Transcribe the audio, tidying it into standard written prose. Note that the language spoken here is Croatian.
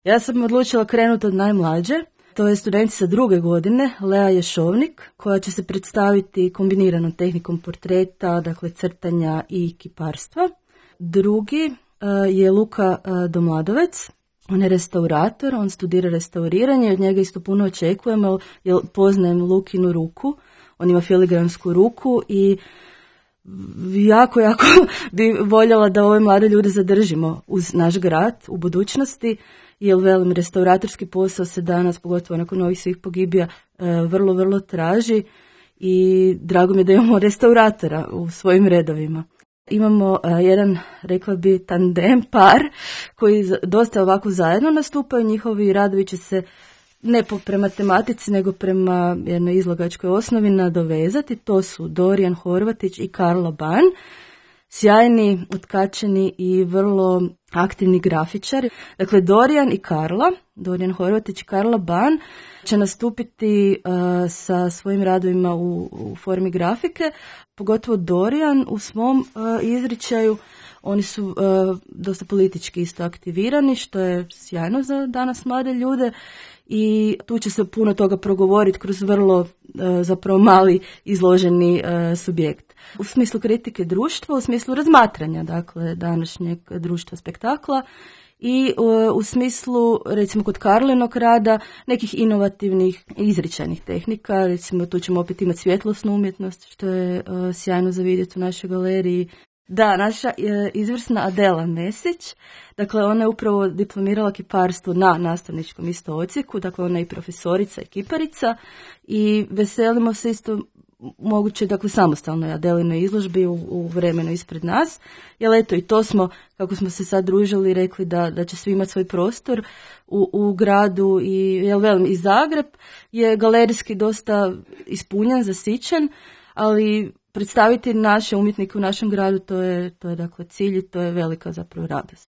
Ja sam odlučila krenuti od najmlađe. To je studentica 2. godine, Lea Ješovnik, koja će se predstaviti kombiniranom tehnikom portreta, dakle crtanja i kiparstva. Drugi je Luka Domladovec. On je restaurator, on studira restauriranje, od njega isto puno očekujemo jer poznajem Lukinu ruku. On ima filigramsku ruku i jako bi voljela da ove mlade ljude zadržimo uz naš grad u budućnosti, jer velim, restauratorski posao se danas, pogotovo nakon ovih svih pogibija, vrlo traži i drago mi je da imamo restauratora u svojim redovima. Imamo jedan, rekla bi, tandem, par, koji dosta ovako zajedno nastupaju. Njihovi radovi će se ne prema tematici, nego prema jednoj izlagačkoj osnovi nadovezati. To su Dorijan Horvatić i Karla Ban, sjajni, otkačeni i vrlo aktivni grafičari. Dakle, Dorijan Horvatić i Karla Ban će nastupiti sa svojim radovima u formi grafike, pogotovo Dorijan u svom izričaju. Oni su dosta politički isto aktivirani, što je sjajno za danas mlade ljude i tu će se puno toga progovoriti kroz vrlo zapravo mali izloženi subjekt. U smislu kritike društva, u smislu razmatranja, dakle, današnjeg društva spektakla i u smislu, recimo kod Karlinog rada, nekih inovativnih izričajnih tehnika. Recimo tu ćemo opet imati svjetlosnu umjetnost, što je sjajno za vidjeti u našoj galeriji. Da, naša izvrsna Adela Mesić, dakle ona je upravo diplomirala kiparstvo na nastavničkom isto odsjeku, dakle ona je i profesorica i kiparica i veselimo se isto moguće, dakle, samostalnoj Adelinoj izložbi u vremenu ispred nas, jer eto i to smo, kako smo se sad družili, rekli da će svi imati svoj prostor u gradu i, jel velim, i Zagreb je galerijski dosta ispunjen, zasićen, ali predstaviti naše umjetnike u našem gradu, to je dakle cilj i to je velika zapravo radost.